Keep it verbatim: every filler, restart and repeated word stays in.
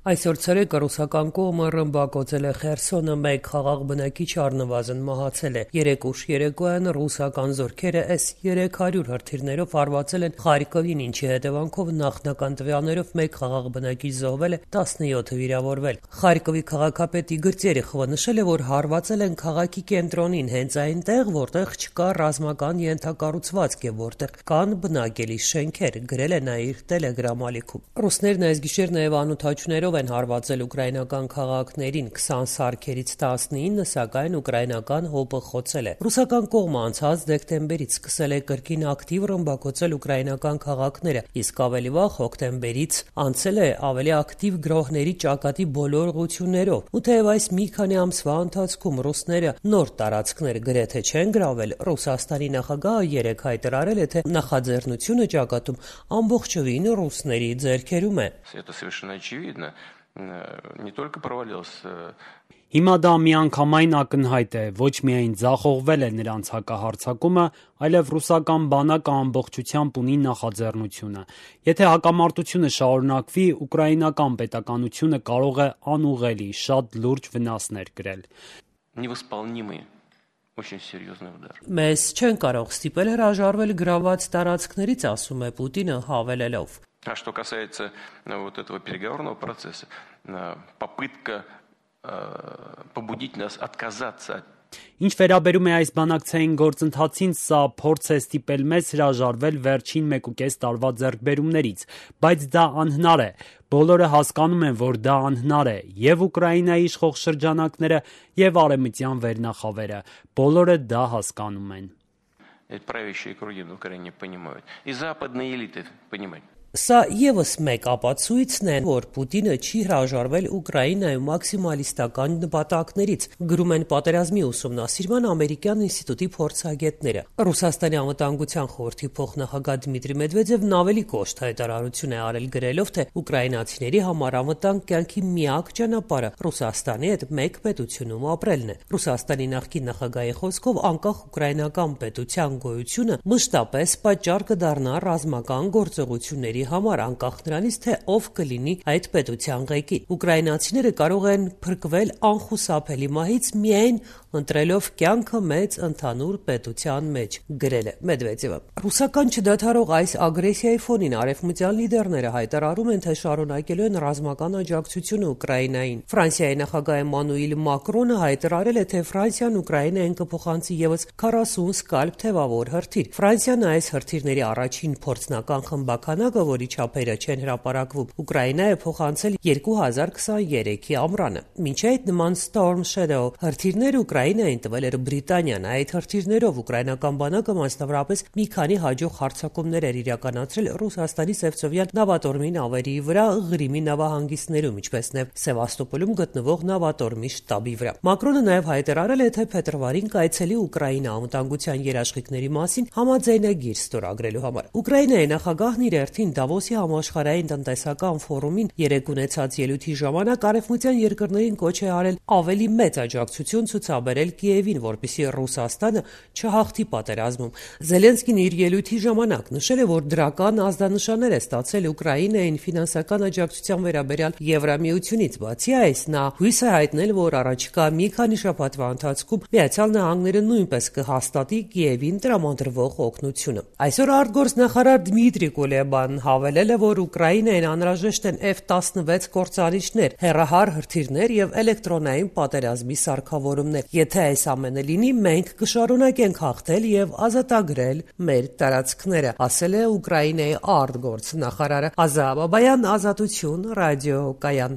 Այսօր ցերեկը ռուսական կողմը ռմբակոծել է Խերսոնը, մեկ խաղաղ բնակիչ առնվազն մահացել է։ Երեկ ուշ երեկոյան ռուսական զորքերը էս երեք հարյուր հրթիռներով հարվածել են Խարկովին, ինչի հետևանքով նախնական տվյալներով մեկ խաղաղ բնակիչ զոհվել է, տասնյոթը վիրավորվել։ Խարկովի քաղաքապետ Իգոր Տերեխովը նշել է, որ հարվածել են քաղաքի կենտրոնին, հենց այնտեղ, որտեղ չկա ռազմական ենթակառուցվածք եւ որտեղ կան բնակելի շենքեր, գրել է նա իր Telegram ալիքում։ Ռուսներն այս գիշեր նաեւ անօթաչուներով են հարվածել ուկրաինական քաղաքներին, քսան սարքերից տասնինը, սակայն ուկրաինական ՀՕՊ-ը խոցել է։ Ռուսական կողմը անցած դեկտեմբերից սկսել է կրկին ակտիվ ռմբակոծել ուկրաինական քաղաքները, իսկ ավելի վաղ հոկտեմբերից անցել է ավելի ակտիվ գրոհների ճակատի բոլոր ուղղություններով։ Ու թեև այս մի քանի ամսվա ընթացքում ռուսները նոր տարածքներ գրեթե չեն գրավել, Ռուսաստանի նախագահը երեկ հայտարարել է, թե նախաձեռնությունը ճակատում ամբողջովին ռուսների ձեռքերում է։ Не только провалился. Հիմա դա միանգամայն ակնհայտ է, ոչ միայն ձախողվել է նրանց հակահարձակումը, այլև ռուսական բանակը ամբողջությամբ ունի նախաձեռնությունը։ Եթե հակամարտությունը շարունակվի, ուկրաինական պետականությունը կարող է անուղղելի, շատ լուրջ վնասներ կրել։ Невосполнимый, очень серьезный удар. Մեզ չեն կարող ստիպել հրաժարվել գրաված տարածքներից, ասում է Պուտինը հավելելով. А что касается вот этого переговорного процесса, попытка побудить нас отказаться от. Ինչ վերաբերում է այս բանակցային գործընթացին, սա փորձ է ստիպել մեզ հրաժարվել վերջին մեկուկես տարվա ձեռքբերումներից, բայց դա անհնար է։ Բոլորը հասկանում են, որ դա անհնար է, եւ Ուկրաինայի իշխող շրջանակները, եւ արևմտյան վերնախավերը, բոլորը դա հասկանում են։ Правящие круги в Украине понимают, и западные элиты понимают. Սա եւս մեկ ապացույցն է, որ Պուտինը չի հրաժարվել Ուկրաինայում մաքսիմալիստական նպատակներից, գրում են Պատերազմի ուսումնասիրման ամերիկյան ինստիտուտի փորձագետները։ Ռուսաստանի անվտանգության խորհրդի փոխնախագահ Դմիտրի Մեդվեդևն ավելի կոշտ հայտարարություն է արել, գրելով, թե ուկրաինացիների համար անվտանգ կյանքի միակ ճանապարհը Ռուսաստանի հետ մեկ պետությունում ապրելն է։ Ռուսաստանի նախկին նախագահի խոսքով անկախ ուկրաինական պետության գոյությունը մշտապես պատճառ կդառնա ռազմական գործողությունների համար, անկախ նրանից, թե ով կլինի այդ պետության ղեկին։ Ուկրաինացիները կարող են փրկվել անխուսափելի մահից միայն ընտրելով կյանքը մեծ ընդհանուր պետության մեջ, գրել է Մեդվեդևը։ Ռուսական չդադարող այս ագրեսիայի ֆոնին արևմտյան լիդերները հայտարարում են, թե շարունակելու են ռազմական աջակցությունը Ուկրաինային։ Ֆրանսիայի նախագահ Էմանուել Մակրոնը հայտարարել է, թե Ֆրանսիան Ուկրաինային կփոխանցի եւս քառասուն սկալպ թևավոր հրթիռ։ Ֆրանսիան այս հրթիռների առաջին փորձնական խմբականակը, որի չափերը չեն հրապարակվում, Ուկրաինա է փոխանցել երկու հազար քսաներեքի ամռանը։ Մինչ այդ նման Storm Shadow հրթիռները Ուկրաինային տվել էր Բրիտանիան։ Այդ հրթիռներով ուկրաինական բանակը մասնավորապես մի քանի հաջող հարձակումներ էր իրականացրել Ռուսաստանի Սևծովյան նավատորմի նավերի վրա, Ղրիմի նավահանգիստներում, ինչպես նաև Սևաստոպոլում գտնվող նավատորմի շտաբի վրա։ Մակրոնը նաև հայտարարել է, թե փետրվարին կայցելի Ուկրաինա անվտանգության երաշխիքների մասին համաձայնագիր ստորագրելու համար։ Ուկրաինայի նախագահն իր հերթին Դավոսի համաշխարհային տնտեսական ֆորումին երեկ ունեցած ելույթի ժամանակ արևմտյան երկրներին կոչ է արել ավելի մեծ աջակցություն ցուցաբերել Կիևին, որպեսզի Ռուսաստանը չհաղթի պատերազմում։ Զելենսկին իր ելույթի ժամանակ նշել է, որ դրական ազդանշաններ է ստացել Ուկրաինային ֆինանսական աջակցության վերաբերյալ Եվրամիությունից։ Բացի այս, նա հույս է հայտնել, որ առաջիկա մի քանի շաբաթվա ընթացքում Միացյալ Նահանգները նույնպես կհաստատի Կիևին տրամադրվող օգնությունը։ Այսօր արտգործնախարար Դմիտրի Կուլեբան հավելել է, որ Ուկրաինային անհրաժեշտ են F տասնվեց կործանիչներ, հեռահար հրթիռներ եւ էլեկտրոնային պատերազմի սարքավորումներ։ Եթե այս ամենը լինի, մենք կշարունակենք հաղթել եւ ազատագրել մեր տարածքները, ասել է Ուկրաինայի արտգործնախարարը։ Ազա Բաբայան, Ազատություն, ռադիո Կայան։